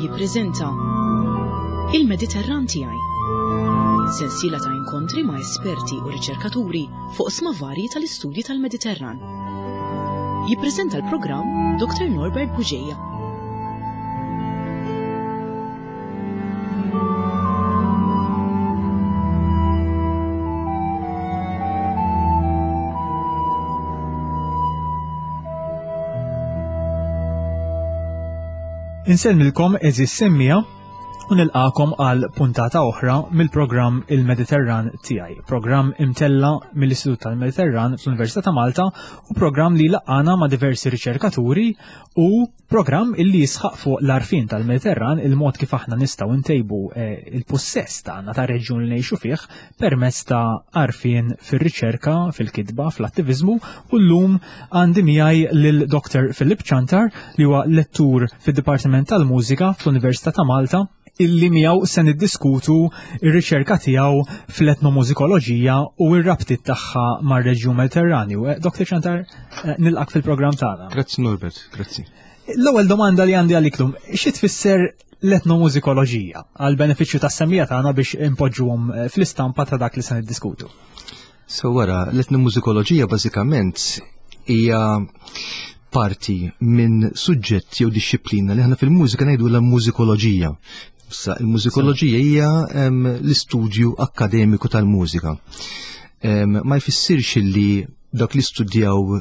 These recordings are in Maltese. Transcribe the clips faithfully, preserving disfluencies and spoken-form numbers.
jippreżenta Il-Mediterran tiegħi. Sensiela ta' inkontri ma' esperti u riċerkaturi fuq oqsma varji tal-istudji tal-Mediterran. Jippreżenta l-programm Dr. Norbert Bugeja. Insellmilkom għeżież semmiegħa u nilqagħkom għal puntata oħra mill-programm Il-Mediterran tiegħi, programm imtella mill-Istitut tal-Mediterran fl-Università ta' Malta u programm li jlaqqagħna ma' diversi riċerkaturi u programm illi jisħaq fuq l-għarfien tal-Mediterran, il-mod kif aħna nistgħu ntejbu eh, il-pussess tagħna ta' reġjun li ngħixu fih permezz ta' għarfien fir-riċerka, fil-kitba, fl-attiviżmu u llum għandi miegħi lil Dr. Philip Ciantar li huwa lettur fid-Dipartiment tal-Mużika fl-Università ta' Malta illi miegħu se niddiskutu ir-riċerka tiegħu fl-etnomużikoloġija u r-rabtiet tagħha mar-reġjun Mediterranju. Eh, Dr. Ciantar, eh, nilqak fil-programm tagħna. Grazzi Norbert, grazzi. L-ewwel domanda li għandi għalik lum, xi tfisser l-etnomużikoloġija għal benefiċċju tas-semmiegħa tagħna biex impoġġuhom eh, fl-istampa ta' dak li se niddiskutu? So wara, l-etnomużikoloġija bażikament hija parti minn suġġett jew dixxiplina li aħna fil-mużika ngħidu la mużikoloġija. Issa, il-mużikoloġija hija l-istudju akkademiku tal-mużika. Ma jfissirx li dak li studjaw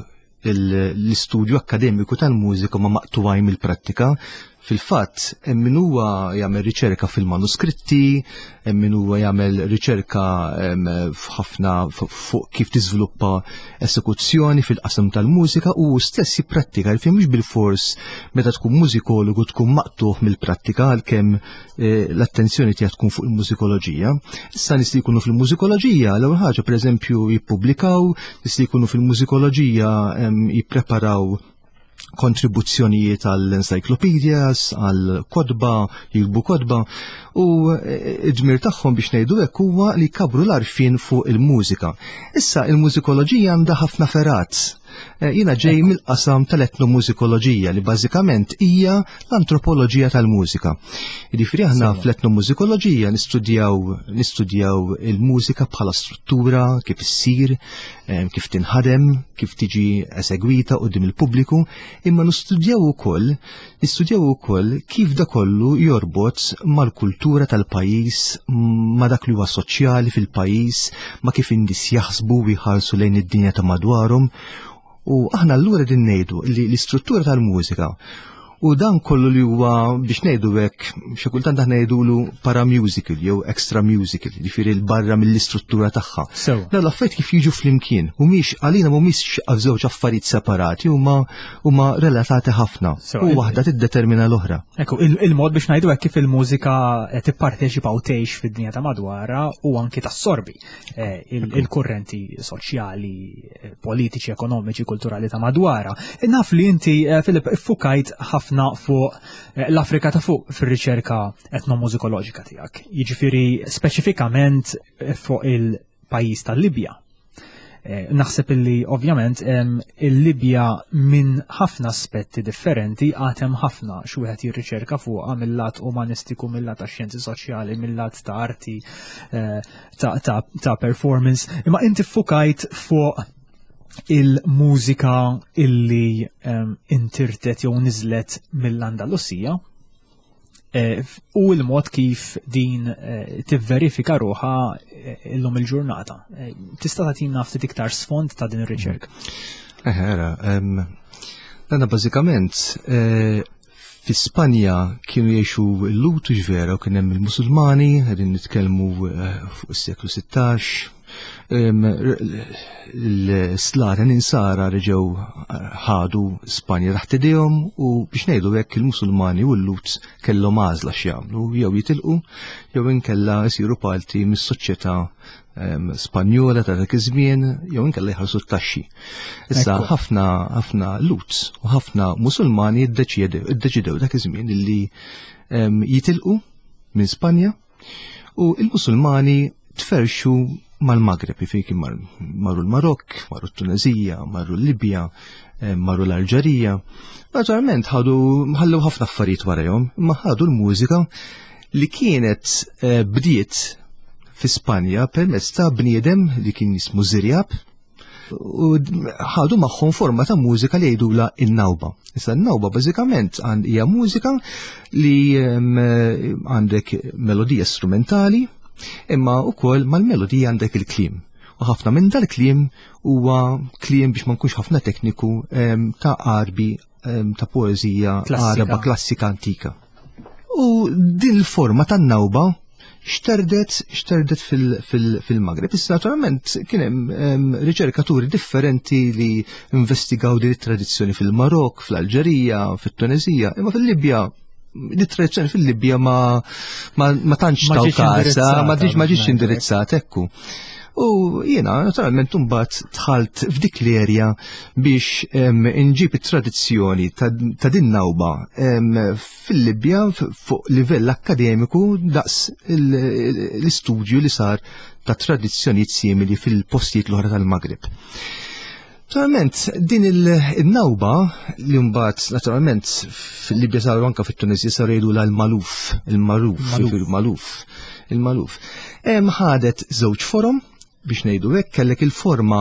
l-istudju akkademiku tal-mużika ma maqtuwaj mill-prattika. Fil-fatt, hemm min huwa jagħmel riċerka fil-manuskritti, hemm min huwa jagħmel riċerka f'ħafna fuq kif tiżviluppa esekuzzjoni fil-qasam tal-mużika u stess jipprattika, għalfejn mhux bil-fors meta tkun mużikologu tkun maqtuħ mill-prattika għalkemm eh, l-attenzjoni tiegħek tkun fuq il-mużikoloġija. Issa nies li jkunu fil-mużikoloġija, l-ewwel ħaġa pereżempju jippubblikaw, nies li jkunu fil-mużikoloġija jippreparaw kontribuzzjonijiet għall-encyclopedias, għall-kotba, jikbu kotba, u id-dmir tagħhom biex ngħidu hekk huwa li jkabru l-għarfien fuq il-mużika. Issa il-mużikoloġija għandha ħafna ferat. Eh, jiena ġej mill-qasam tal-etnomużikoloġija li bażikament hija l-antropoloġija tal-mużika. Jiġifieri aħna fl-etnomużikoloġija nistudjaw nistudjaw il-mużika bħala struttura, kif issir, eh, kif tinħadem, kif tiġi esegwita quddiem il-pubbliku, imma nistudjaw ukoll nistudjaw ukoll kif da kollu jorbot mal-kultura tal-pajjiż, ma dak li huwa soċjali fil-pajjiż, ma kif in-nies jaħsbu u jħarsu lejn id-dinja ta' madwarhom. U aħna allura din ngħidu li l-istruttura tal-mużika u dan kollu li huwa biex ngħidu hekk xi kultant aħna ngħidulu paramusical jew extra musical, jiġifieri l-barra mill-istruttura tagħha. Dan l-affarijiet kif jiġu flimkien, mhumiex għalina mhumiex żewġ affarijiet separati, huma huma relatati ħafna u waħda tiddetermina l-oħra. Ekku, il-mod biex ngħidu hekk kif il-mużika tipparteċipa u tgħix fid-dinja ta' madwarha u anki tassorbi eh, il-kurrenti soċjali, eh, politiċi, ekonomiċi, kulturali ta' madwarha. Naf li inti, eh, Filip, iffukajt ħafna fuq l-Afrika ta' fuq fir-riċerka etnomużikoloġika tiegħek. Jiġifieri speċifikament fuq il-pajjiż tal-Libja. Naħseb illi ovvjament il-Libja minn ħafna aspetti differenti għad hemm ħafna xi wieħed jirriċerka fuqha mill-lat umanistiku, mill-lat ta' xjenzi soċjali, mill-lat ta' arti, ta' performance. Imma inti ffukajt fuq il-mużika illi intirtet jew niżlet mill-Andalusija u l-mod kif din tivverifika ruħha illum il-ġurnata. Tista' tagħtina ftit iktar sfond ta' din ir-riċerka? Eħe, dana bażikament fi Spanja kienu jgħixu l-Lut ġvera u kien hemm il-Musulmani, qegħdin nitkellmu fuq is-seklu sittax. L-Slaten insara reġgħu ħadu Spanja taħt idejhom u biex ngħidu hekk il-Musulmani u l-Lut kellhom għażla x'jagħmlu, jew jitilqu jew inkella jsiru parti mis-soċjetà Spanjola ta' dak iż-żmien jew inkella jħallsu t-taxxi. Issa ħafna ħafna Lut u ħafna Musulmani iddeċidew dak iż-żmien illi jitilqu minn Spanja u l-Musulmani tferxu mal-Magreb, jiġifieri marru l-Marokk, marru t-Tunezija, marru l-Libja, eh, marru l-Alġerija. Naturalment ħadu ħallew ħafna affarijiet warajhom, imma ħadu l-mużika li kienet eh, bdiet fi Spanja permezz ta' bniedem li kien jismu Zirjab u ħadu magħhom forma ta' mużika li jgħidula in-nawba. Issa n-nawba bażikament hija mużika li għandek melodija strumentali imma wkoll mal-melodija għandek il-kliem. U ħafna minn dal-kliem huwa kliem biex ma nkunx ħafna tekniku ta' arbi ta' poeżija araba klassika antika. U din il-forma tan-nawba xterdet xterdet fil-Magreb. Issa naturalment kien hemm riċerkaturi differenti li investigaw din it-tradizzjoni fil-Marok, fl-Alġerija, fit-Tunezija, imma fil-Libja l tradizzjoni fil-Libja ma ma tantx taw kasa, ma ġietx indirizzata, ekku. U jiena naturalment mbagħad dħalt f'dik l-erja biex inġib it-tradizzjoni ta' din nawba fil-Libja fuq livell akkademiku daqs l-istudju li sar ta' tradizzjonijiet simili fil-postijiet l-oħra tal-Magreb. Naturalment, din il-nawba li mbagħad naturalment fil-Libja saru anka fit-Tunisja saru jgħidu l-maluf, il-maruf, il-maluf, il-maluf. Ħadet żewġ forom biex ngħidu hekk kellek il-forma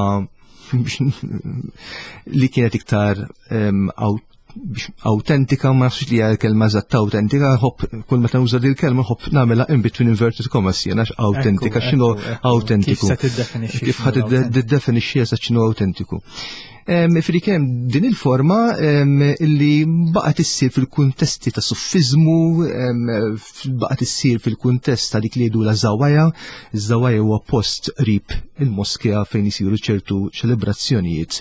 li kienet iktar autentika, ma nafx li hija l-kelma eżatt autentika, ħobb kull meta nuża din il-kelma ħobb nagħmilha in between inverted commas jiena autentika, x'inhu autentiku. Kif ħad tiddefinixxi eżatt x'inhu autentiku. Fili kien din il-forma illi baqgħet issir fil-kuntesti ta' suffizmu, baqgħet issir fil-kuntest ta' dik li jgħidu la zawaja. Iż-zawaja huwa post qrib il-moskea fejn isiru ċertu ċelebrazzjonijiet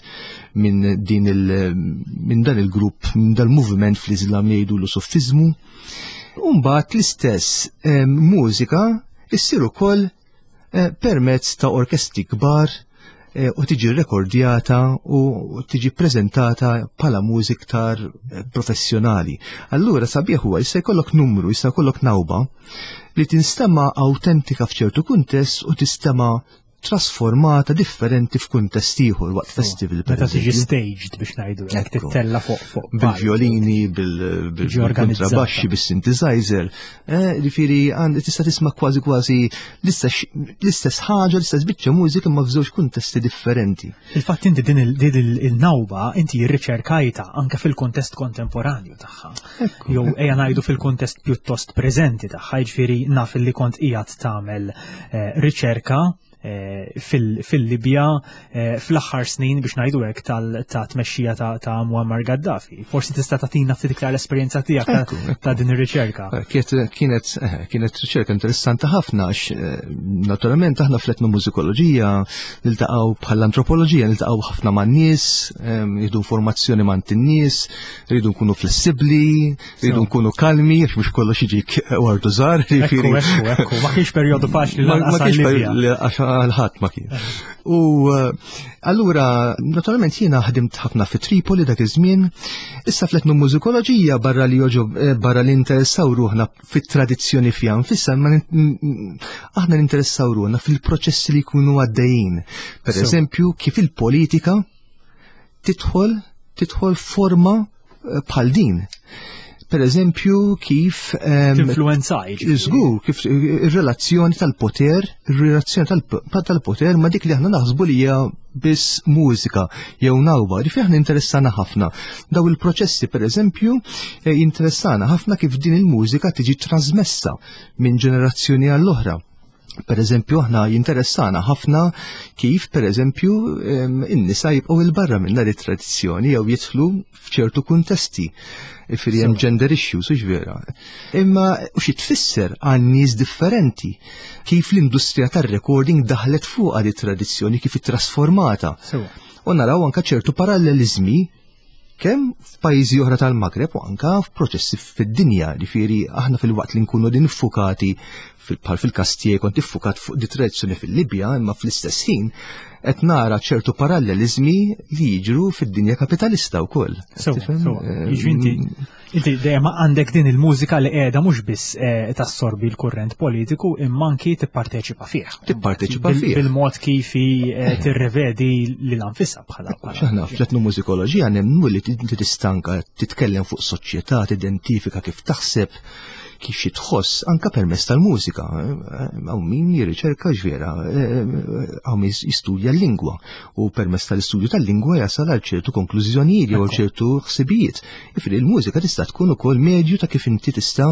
minn din il minn dan il-grupp, minn dal-moviment fl-Islam li jgħidu l-suffizmu. U mbagħad l-istess mużika issir ukoll eh, permezz ta' orkestri kbar eh, u tiġi rekordjata u tiġi prezentata bħala mużik iktar eh, professjonali. Allura sabiħ huwa jista' jkollok numru, jista' jkollok nawba li tinstema' autentika f'ċertu kuntest u tinstema' trasformata differenti f'kuntest ieħor waqt festival. Meta tiġi staged biex ngħidu hekk tittella fuq fuq bil-violini, bil-kontrabaxxi, bis-synthesizer. Eh, ġifieri tista' tisma' kważi kważi l-istess ħaġa, l-istess biċċa mużika imma f'żewġ kuntesti differenti. Il-fatt inti din il-nawba inti rriċerkajta anke fil-kuntest kontemporanju tagħha. Jew ejja ngħidu fil-kuntest pjuttost preżenti tagħha, jiġifieri naf li kont qiegħed tagħmel eh, riċerka eh, fil-Libja eh, fl-aħħar snin biex ngħidu hekk ta' tmexxija ta' Muammar Gaddafi. Forsi tista' tagħtina ftit iktar l-esperjenza tiegħek ta' din ir-riċerka. Kienet kienet riċerka interessanti ħafna għax naturalment aħna fl-etnomużikoloġija niltaqgħu bħall-antropoloġija niltaqgħu ħafna man-nies, nieħdu informazzjoni ma' in-nies, rridu nkunu flessibbli, rridu nkunu kalmi, għax mhux kollox jiġik wardu żgħar. Ekku, ekku, ekku, ma kienx perjodu faċli lanqas għal-Libja. Għal-ħadd ma kien. U allura, naturalment jiena ħdimt ħafna fi Tripoli dak iż-żmien. Issa fl-etnomużikoloġija barra li joġob barra li interessaw ruħna fit-tradizzjoni fiha nfisha, ma aħna ninteressaw ruħna fil-proċessi li jkunu għaddejjin. Per eżempju, kif il-politika tidħol tidħol forma bħal din. Per eżempju, kif Tinfluwenzaj. Żgur, kif ir-relazzjoni tal-poter, ir-relazzjoni tal-poter ma dik li aħna naħsbu li hija biss mużika jew nawba, ġifieri aħna interessana ħafna. Daw il-proċessi, per eżempju, jinteressana ħafna kif din il-mużika tiġi trasmessa minn ġenerazzjoni għall-oħra. Per eżempju, aħna jinteressana ħafna kif, per eżempju, in-nisa jibqgħu il-barra minn dar it-tradizzjoni jew jidħlu f'ċertu kuntesti. Ġifieri hemm gender issues, hux vera. Imma u xi tfisser għal nies differenti kif l-industrija tar-recording daħlet fuq di tradizzjoni kif ittrasformata. U naraw anka ċertu parallelizmi kemm f'pajjiżi oħra tal-Magreb u anka f'proċessi fid-dinja, ġifieri aħna fil-waqt li nkunu din iffukati bħal fil-każ tiegħi kont iffukat fuq di tradizzjoni fil-Libja, imma fl-istess ħin qed nara ċertu parallelizmi li jiġru fid-dinja kapitalista wkoll. Sewa, sewa. Jiġri inti Inti dejjem għandek din il-mużika li qiegħda mhux biss eh, tassorbi l-kurrent politiku imma anki tipparteċipa fih. Tipparteċipa fih. Bil-mod kif eh, tirrevedi lil anfisha bħala. Aħna fl-etnomużikoloġija nemmnu li inti tistanka titkellem fuq soċjetà, tidentifika kif taħseb, kif xi tħoss anka permezz tal-mużika. Hawn min jirriċerka ġvera, hawn min jistudja l-lingwa u permezz tal-istudju tal-lingwa jasal għal ċertu konklużjonijiet jew ċertu ħsibijiet. Ifri l-mużika tista' tkun ukoll medju ta' kif inti tista'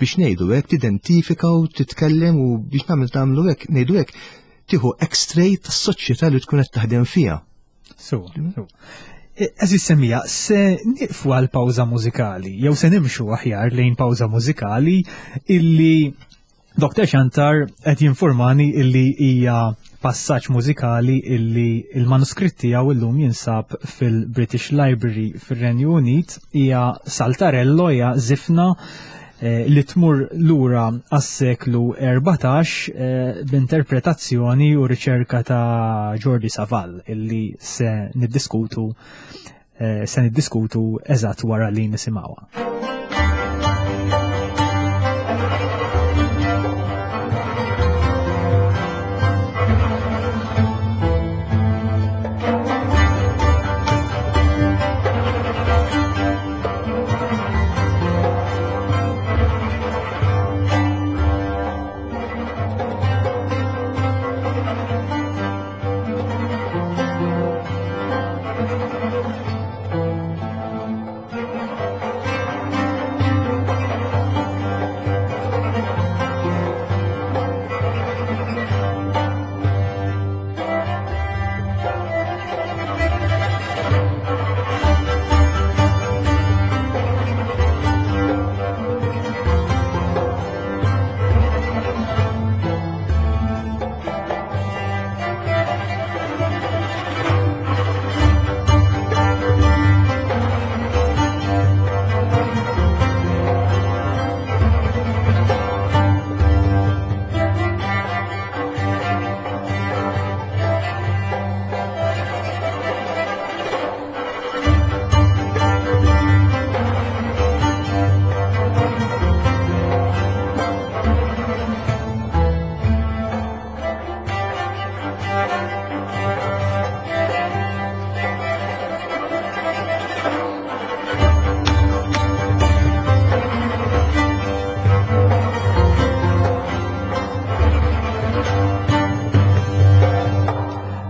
biex ngħidu hekk tidentifika u titkellem u biex nagħmel tagħmlu hekk ngħidu hekk tieħu x-ray tas-soċjetà li tkun qed taħdem fiha. So, so. Eżis semmija, se niqfu għal pawża mużikali, jew se nimxu aħjar lejn pawża mużikali illi Doktor Ciantar qed jinformani illi hija passaġġ mużikali illi il-manuskritt tiegħu illum jinsab fil-British Library fir-Renju Unit, hija Saltarello, hija żifna li tmur lura għas-seklu erbatax b'interpretazzjoni u riċerka ta' Jordi Savall illi se niddiskutu se niddiskutu eżatt wara li nisimgħuha.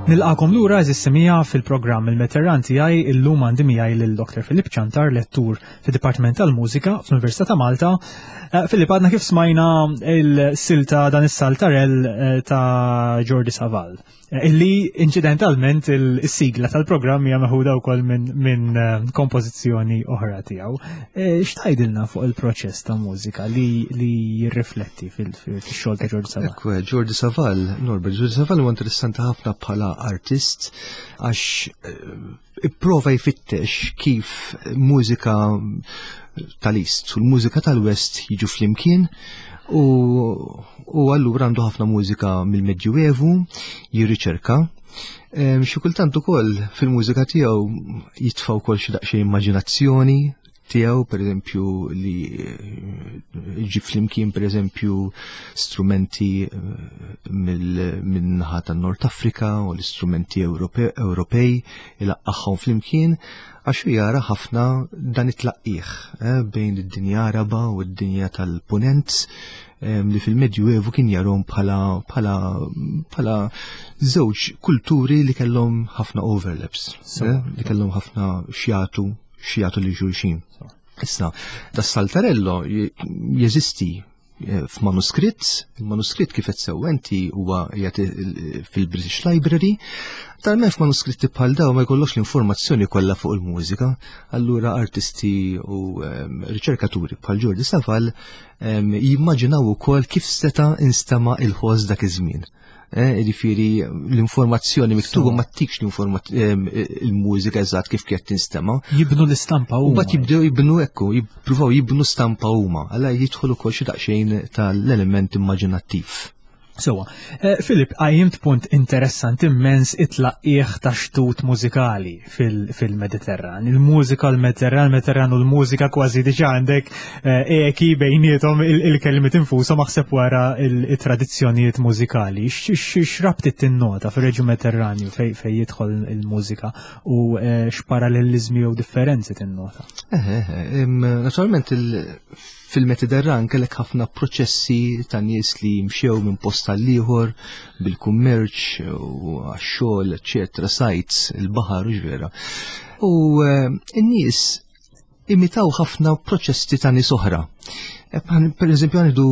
Nilqakom lura eżis semija fil-programm Il-Mediterran tiegħi. Illum għandi miegħi lil Doktor Philip Ciantar, lettur fid-Dipartiment tal-Mużika fl-Università ta' Malta. Filip, għadna kif smajna il-silta dan is-saltarell ta' Jordi Savall, illi inċidentalment il-sigla tal-programm hija meħuda wkoll minn min kompożizzjoni oħra tiegħu. X'tgħidilna fuq il-proċess ta' mużika li, li jirrifletti fil-xogħol ta' Jordi Savall? Ekku, Jordi Savall, Norbert, Jordi Savall huwa interessanti ħafna bħala artist għax ipprova jfittex kif mużika tal-East u l-mużika tal-West jiġu flimkien u, u allura għandu ħafna mużika mill-Medjuevu jirriċerka. Xi kultant ukoll fil-mużika tiegħu jitfa' wkoll xi daqsxejn immaġinazzjoni tiegħu, pereżempju li ġib flimkien pereżempju strumenti minn-naħa tan-Nord Afrika u l-istrumenti Ewropej ilaqqagħhom flimkien għax jara ħafna dan it-tlaqqih bejn id-dinja Araba u d-dinja tal-Punent li fil-Medjuevu kien jarhom bħala bħala bħala żewġ kulturi li kellhom ħafna overlaps, li kellhom ħafna xjatu xjatu li xulxin. Issa, da Saltarello jeżisti f'manuskritt, il-manuskritt kif qed sewwenti huwa qiegħed fil-British Library, talment f'manuskritti bħal daw ma jkollokx l-informazzjoni kollha fuq il-mużika, allura artisti u riċerkaturi bħal Jordi Savall jimmaġinaw ukoll kif seta' instema' il-ħoss dak iż-żmien. Jiġifieri l-informazzjoni miktuba ma ttikx il-mużika eżatt kif kienet tinstema'. Jibnu l-istampa huma. U mbagħad jibdew jibnu ekku, jippruvaw jibnu stampa huma, għala jidħol ukoll xi daqsxejn tal-element immaġinattiv. Sewa, eh, Filip, għajjimt punt interessanti immens, it-tlaqqieħ ta' xtut mużikali fil-Mediterran. Il-mużika, l-Mediterran, il-Mediterran u l-mużika, kważi diġa għandek eh, eki bejniethom il-kelmiet infushom, aħseb wara il-tradizzjonijiet mużikali. X'rabtiet tinnota fir-reġjun Mediterranju fej jidħol il-mużika u eh, x'parallelizmi jew differenzi tinnota? Naturalment, fil-Mediterran kellek ħafna proċessi ta' nies li mxew minn post għal ieħor bil-kummerċ u għax-xogħol, eċetera, sajts, il-baħar u ġvera. U eh, n-nies imitaw ħafna proċessi ta' nies oħra. Eh, per eżempju, għandu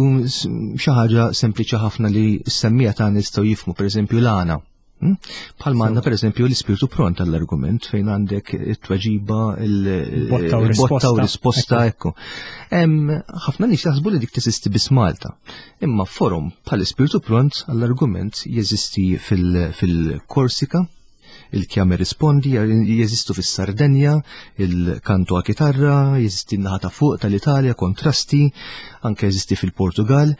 xi ħaġa sempliċi ħafna li s-semmija ta' nistgħu jifhmu, per eżempju, l-għana. Hmm? Bħalma għandna, per eżempju, l-ispirtu pront għall-argument fejn għandek it-tweġiba, il-botta u risposta, ekku. Ħafna nies jaħsbu li dik teżisti biss Malta. Imma forum bħal ispirtu pront għall-argument jeżisti fil-Korsika, il-chiama rispondi, jeżistu fis-Sardenja, il-canto a chitarra, jeżisti n-naħa ta' fuq tal-Italja, kontrasti, anke jeżisti fil-Portugal.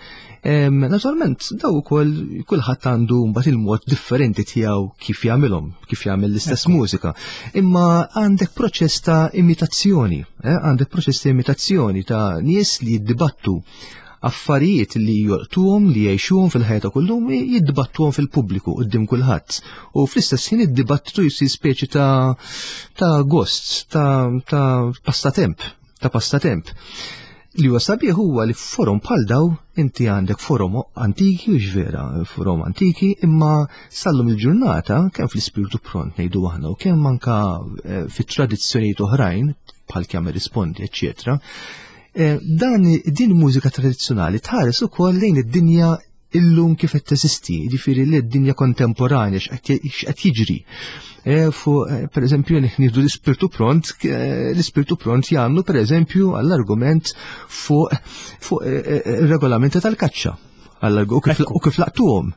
Naturalment, daw ukoll kulħadd għandu mbagħad il-mod differenti tiegħu kif jagħmilhom, kif jagħmel l-istess mużika. Imma għandek proċess ta' imitazzjoni, eh, għandek proċess ta' imitazzjoni ta' nies li jiddibattu affarijiet li jolqtuhom, li jgħixuhom fil-ħajja ta' kullum, jiddibattuhom fil-pubbliku quddiem kulħadd. U fl-istess ħin id-dibattitu jsir speċi ta' ta' gost, ta' ta' passatemp, ta' passatemp. Li huwa sabiħ huwa li forum bħal daw inti għandek forum antiki u vera, forum antiki, imma sallum il-ġurnata kemm fl-ispirtu pront ngħidu aħna u kemm anka eh, fit-tradizzjonijiet oħrajn bħal chiama rispondi, eċċetera. Eh, dan din mużika tradizzjonali tħares ukoll lejn id-dinja illum kif qed teżisti, jiġifieri li d-dinja kontemporanja, x'qed jiġri. Eh, fu eh, per eżempju, nieħdu l-ispirtu pront, l-ispirtu pront jagħmlu, per eżempju, għall-argument fuq fuq regolamenti tal-kaċċa u kif laqtuhom.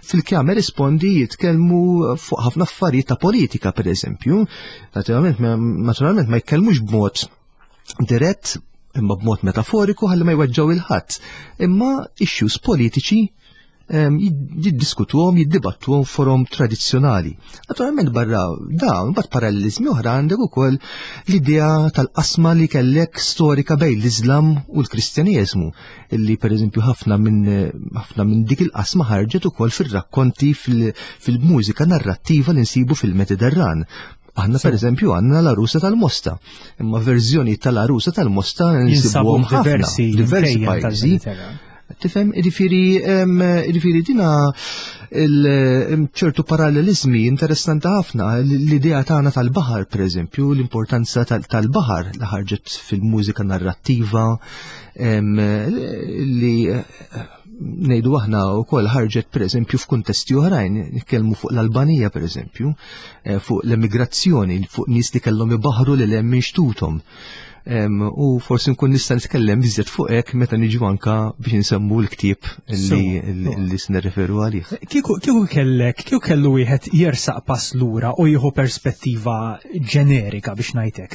Fil-chiama rispondi jitkellmu fuq ħafna affarijiet ta' politika, per eżempju. Naturalment, naturalment ma jitkellmux b'mod dirett imma b'mod metaforiku ħalli ma jweġġaw il-ħadd. Imma issues politiċi jiddiskutuhom, jiddibattuhom forum tradizzjonali. Naturalment, barra dawn, bat parallelizmi oħra, għandek ukoll l-idea tal-qasma li kellek storika bejn l-Islam u l-Kristjaneżmu, illi per eżempju ħafna minn ħafna minn dik il-qasma ħarġet ukoll fir-rakkonti, fil-mużika narrattiva li nsibu fil-Mediterran. Aħna, per eżempju, għandna l-Għarusa tal-Mosta, imma verżjoni tal-Għarusa tal-Mosta nsibuhom diversi diversi pajjiżi. Tifhem, ġifieri, ġifieri dina ċertu parallelizmi interessanti ħafna, l-idea tagħna tal-baħar, per eżempju, l-importanza tal-baħar li ħarġet fil-mużika narrattiva, li ngħidu aħna wkoll ħarġet, per eżempju, f'kuntesti oħrajn, nitkellmu fuq l-Albanija, per eżempju, eh, fuq l-emigrazzjoni, fuq nies li kellhom ibaħru lil hemm minn xtuthom. U forsi nkun nista' nitkellem biżjed fuq hekk meta niġu anka biex nsemmu l-ktieb li li se nirreferu għalih. Kieku kieku kellek, kieku kellu wieħed jersaq pass lura u jieħu perspettiva ġenerika, biex ngħidlek,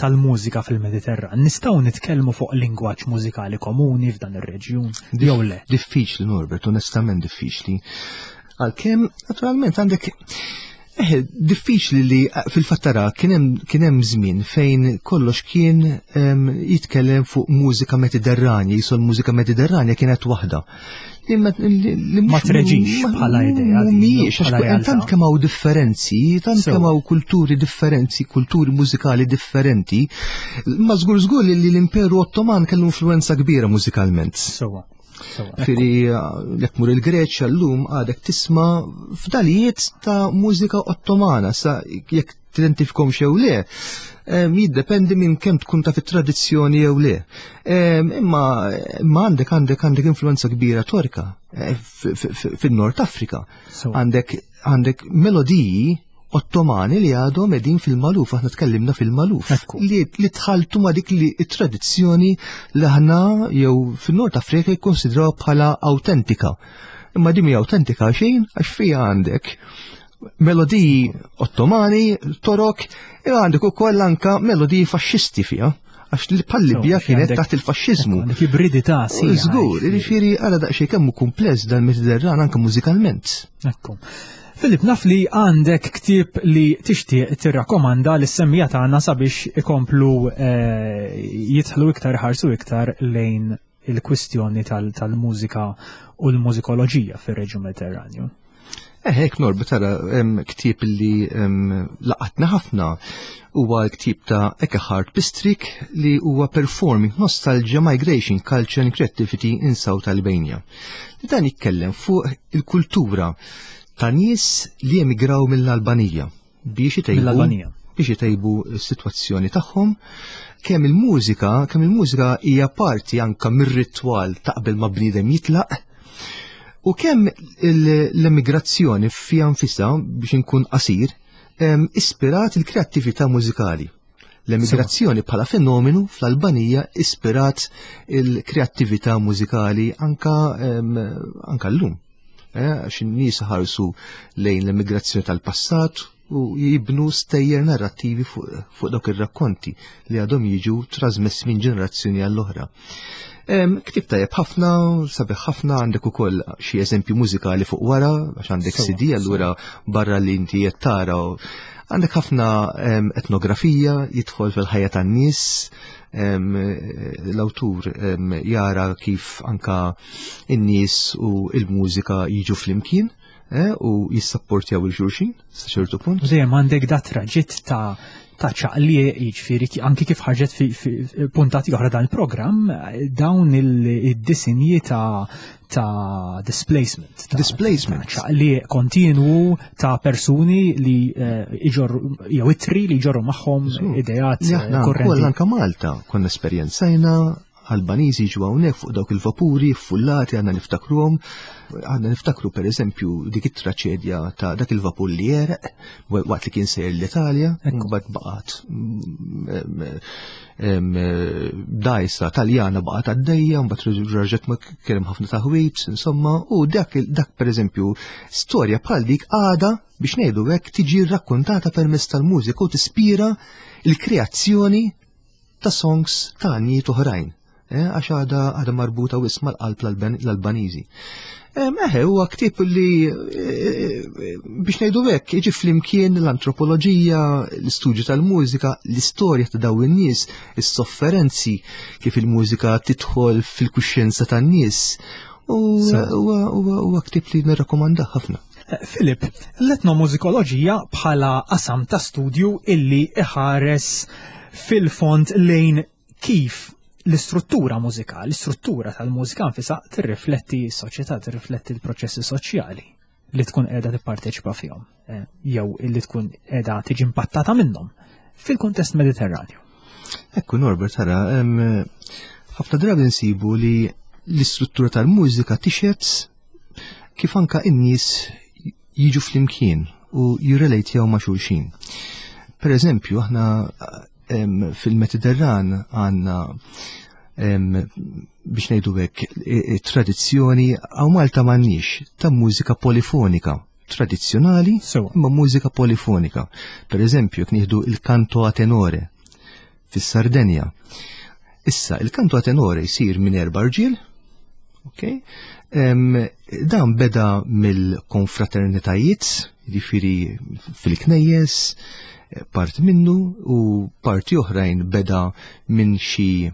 tal-mużika fil-Mediterran, nistgħu nitkellmu fuq lingwaġġ mużikali komuni f'dan ir-reġjun jew le? Diffiċli, Norbert, onestament diffiċli. Għalkemm naturalment għandek Eh, diffiċli li fil-fattara kien hemm żmien fejn kollox kien jitkellem fuq mużika Mediterranja, jisu l-mużika Mediterranja kienet waħda. Ma treġix bħala idea. Mhijiex, għax tant kemm hawn differenzi, tant kemm hawn kulturi differenzi, kulturi mużikali differenti, ma żgur żgur li l-Imperu Ottoman kellu influenza kbira mużikalment. Sewa. Ġifieri, jekk tmur il-Greċja l-lum għadek tisma' fdalijiet ta' mużika ottomana, sa jekk tidentifikhom jew le, jiddependi minn kemm tkun ta' fit-tradizzjoni jew le. Imma għandek għandek għandek influenza kbira Torka eh, fin-Nord Afrika. Għandek għandek melodiji Ottomani li għadhom qegħdin fil-Maluf, aħna tkellimna fil-Maluf, li, li tħaltu ma dik li tradizzjoni li aħna jew fin-Nord Afrika jikkonsidraw bħala autentika. Imma din mhi autentika xejn, għax fija għandek melodiji Ottomani, Torok, e għandek ukoll anka melodiji faxxisti fija. Għax li bħal-Libja kienet taħt il-faxxiżmu. Għandek ibridità sħiħa. Żgur, jiġifieri ara daqsxejn kemm hu kumpless dal-Mediterran anke mużikalment. Ekku. Filip, naf li għandek ktieb li tixtieq tirrakkomanda lis-semmiegħa tagħna sabiex ikomplu eh, jidħlu iktar ħarsu iktar lejn il-kwistjoni tal-mużika u l-mużikoloġija fir-reġjun Mediterranju. Eh, hekk Norbi tara ktieb li laqatna ħafna huwa l-ktieb ta' Ekkehard Pistrick li huwa Performing Nostalgia Migration Culture and Creativity in South Albania. Li dan jitkellem fuq il-kultura ta' nies li emigraw mill-Albanija biex itejbu biex itejbu s-sitwazzjoni tagħhom kemm il-mużika, kemm il-mużika hija parti anka mir-ritwal ta' qabel ma bniedem jitlaq u kemm l-emigrazzjoni fija nfisha biex inkun qasir ispirat il-kreattività mużikali. L-emigrazzjoni bħala fenomenu fl-Albanija ispirat il-kreattività mużikali anka anka llum. Eh, għax in-nies ħarsu lejn l-emigrazzjoni tal-passat u jibnu stejjer narrattivi fuq fuq dawk ir-rakkonti li għadhom jiġu trasmessi minn ġenerazzjoni għall-oħra. Ktieb tajjeb ħafna, sabiħ ħafna, għandek ukoll xi eżempju mużikali fuq wara, għax għandek C D allura barra li inti qed tara għandek ħafna etnografija, jidħol fil-ħajja tan-nies, l-awtur jara kif anka in-nies u il-mużika jiġu flimkien eh, u jissapportjaw lil xulxin sa ċertu punt. Dejjem għandek da traġitt ta' ta' ċaqli, jiġifieri anki kif ħarġet fi, fi puntati oħra dan il-programm, dawn il-disinji ta' ta' displacement. Ta' Displacement. Ta' ċaqli kontinwu ta' persuni li eh, iġorru, jew ittri li jġorru magħhom ideat Li aħna korrenti. wkoll anka Malta konna esperjenzajna Albaniżi ġu hawnhekk fuq dawk il-vapuri fullati, għandna niftakruhom, għandna niftakru per eżempju dik it-traċedja ta' dak il-vapur li jereq waqt li kien sejjer l-Italja, mbagħad baqgħet dgħajsa Taljana baqgħet għaddejja, mbagħad raġet ma kien hemm ħafna taħwit, insomma, u dak dak per eżempju storja bħal dik għada biex ngħidu hekk tiġi rrakkontata permezz tal-mużika u tispira il-kreazzjoni ta' songs ta' għanjiet oħrajn. Eh, għax għada għada marbuta wisq mal-qalb l-Albaniżi. Eħe, huwa ktieb li eh, biex ngħidu hekk jiġi flimkien l-antropoloġija, l-istudju tal-mużika, l-istorja ta' dawn in-nies, is-sofferenzi kif il-mużika tidħol fil-kuxjenza tan-nies. U huwa ktieb li nirrakkomandah ħafna. Filip, l-etnomużikoloġija bħala qasam ta' studju illi iħares fil-fond lejn kif l-istruttura mużikali, l-istruttura tal-mużika nfisha tirrifletti s-soċjetà, tirrifletti l-proċessi soċjali li tkun qiegħda tipparteċipa fihom, eh, jew illi tkun qiegħda tiġi impattata minnhom fil-kuntest Mediterranju. Ekku Norbert, tara, ħafna drabi nsibu li l-istruttura tal-mużika tixhed kif anka in-nies jiġu flimkien u jirrelejtjaw ma' xulxin. Per eżempju, aħna fil-Mediterran għandna biex ngħidu hekk tradizzjoni hawn Malta m'għandniex ta' mużika polifonika tradizzjonali imma mużika polifonika. Per eżempju, jekk nieħdu il-canto a tenore fis-Sardenja. Issa, il-canto a tenore jsir minn erba' rġiel, ok? Dan beda mill-konfraternitajiet, jiġifieri fil-knejjes, parti minnu u parti oħrajn beda minn xi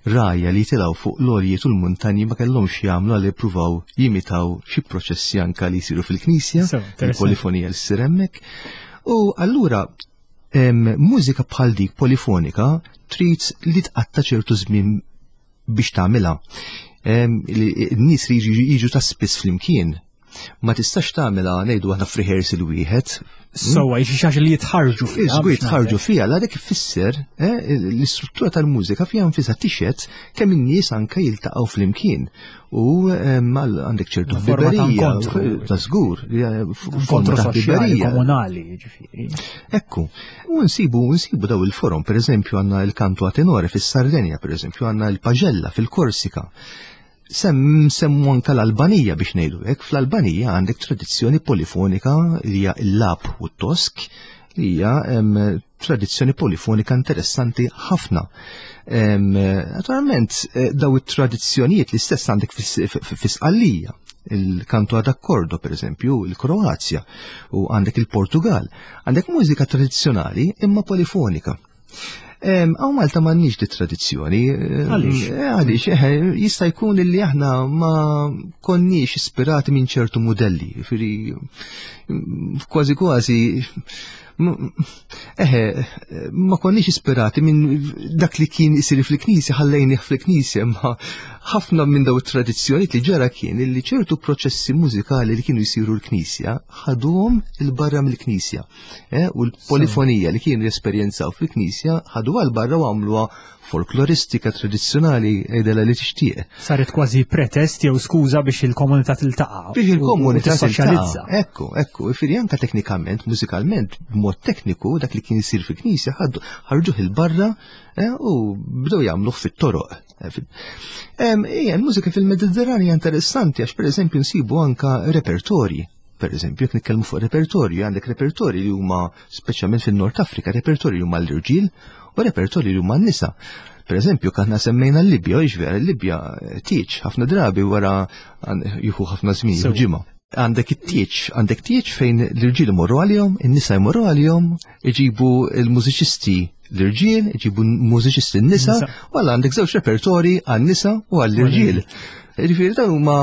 rgħajja li tilgħu fuq l-għoljiet u l-muntanji ma kellhomx jagħmlu għal jippruvaw jimitaw xi proċessi anka li jsiru fil-knisja, il-polifonija li ssir hemmhekk. U allura mużika bħal dik polifonika trid li tqatta ċertu żmien biex tagħmilha. N-nies li jiġu ta' spiss flimkien ma tistax tagħmilha ngħidu aħna f'rehearsal wieħed. Sewwa, xi ħaġa li jitħarġu fiha. Żgur jitħarġu fiha, la dik ifisser eh, l-istruttura tal-mużika fiha nfisha tixhed kemm in-nies anke jiltaqgħu flimkien. U għandek ċertu ħbiberija ta' żgur, forma ta' ħbiberija komunali, ġifieri. Ekku, u nsibu nsibu daw il-forom, per eżempju għandna il-canto a tenore fis-Sardenja, per eżempju għandna il-Paġella fil-Korsika. Sem semmu anka l-Albanija biex ngħidu hekk, fl-Albanija għandek tradizzjoni polifonika li hija l-Lap u t-Tosk Li hija tradizzjoni polifonika interessanti ħafna. Naturalment, eh, daw it-tradizzjonijiet li stess għandek fis-Sqallija, il-kanto ad accordo, per eżempju, il-Kroazja, u għandek il-Portugal. Għandek mużika tradizzjonali imma polifonika. Hawn Malta m'għandniex di tradizzjoni. Għaliex? Eh, għaliex, eh, jista' jkun li aħna ma konniex ispirati minn ċertu modelli. Firri, kważi kważi, eħe, ma konniex ispirati minn dak li kien isir fil-knisja, ħallejnih fil-knisja, ma ħafna minn daw it-tradizzjoni li ġara kien li ċertu proċessi mużikali li kienu jisiru l-knisja ħaduhom il-barra mill-knisja. Eh, u l-polifonija li kienu jesperjenzaw fil-knisja ħaduha l-barra u għamluha folkloristika tradizzjonali għidilha li tixtieq. Saret kważi pretest jew skuża biex il-komunità tiltaqa'. Biex il-komunità tissoċjalizza. Ekku, ekku, jiġifieri anka teknikament, mużikalment, b'mod tekniku, dak li kien isir fil-knisja ħarġuh il-barra eh, u bdew jagħmluh fit-toroq. Ija, l-mużika fil-Mediterran hija interessanti għax pereżempju nsibu anka repertorji. Per eżempju, jekk nitkellmu fuq repertorju, għandek repertorji li huma speċjalment fin-Nord Afrika, repertorji li huma l-irġiel u repertorji li huma n-nisa. Per eżempju, aħna semmejna l-Libja, u vera, l-Libja tieġ ħafna drabi wara jieħu ħafna żmien, ġimgħa. Għandek it-tieġ, għandek tieġ fejn l-irġiel imorru għalihom, in-nisa jmorru għalihom, iġibu l-mużiċisti l-irġiel, iġibu mużiċisti n-nisa, u għalla għandek żewġ repertori għan-nisa u għall-irġiel. Ġifieri dan huma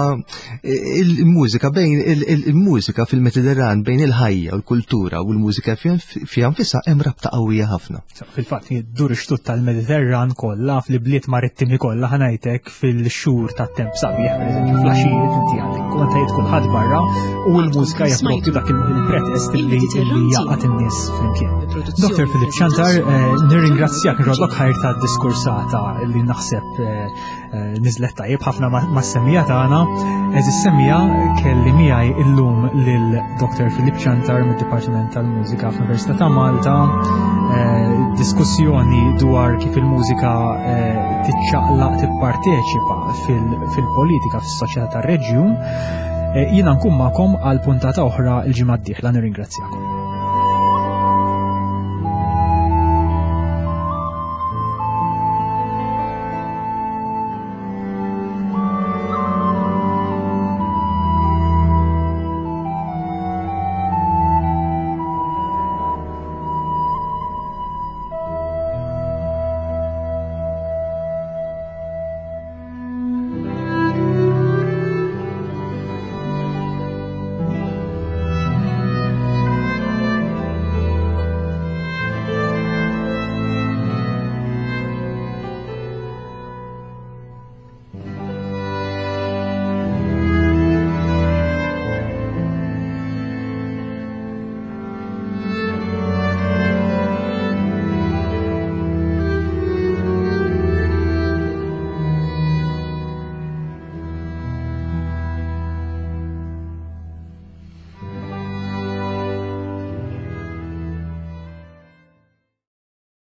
il-mużika bejn il-mużika fil-Mediterran bejn il-ħajja u l-kultura u l-mużika fiha nfisha hemm rabta qawwija ħafna. Fil-fatt dur ix-xtut tal-Mediterran kollha fl-bliet marittimi kollha ħa ngħidlek fil-xhur tat-temp sabiħ, pereżempju fl-għaxijiet inti għandek komunitajiet kulħadd barra u l-mużika hija propju dak il-pretest li jgħaqqad in-nies flimkien. Dr. Philip Ciantar, nirringrazzjak nroddlok ħajr ta' diskursata li naħseb niżlet tajjeb ħafna ma' semmiegħa tagħna. Għeżież semmiegħa kelli miegħi illum lil Dr. Philip Ciantar mid-Dipartiment tal-Mużika fl-Università ta' Malta. Diskussjoni dwar kif il-mużika tiċċaqlaq tipparteċipa fil-politika fis-soċjetà tar-reġjun. Jiena nkun magħkom għal puntata oħra l-ġimgħa d-dieħla nirringrazzjakom.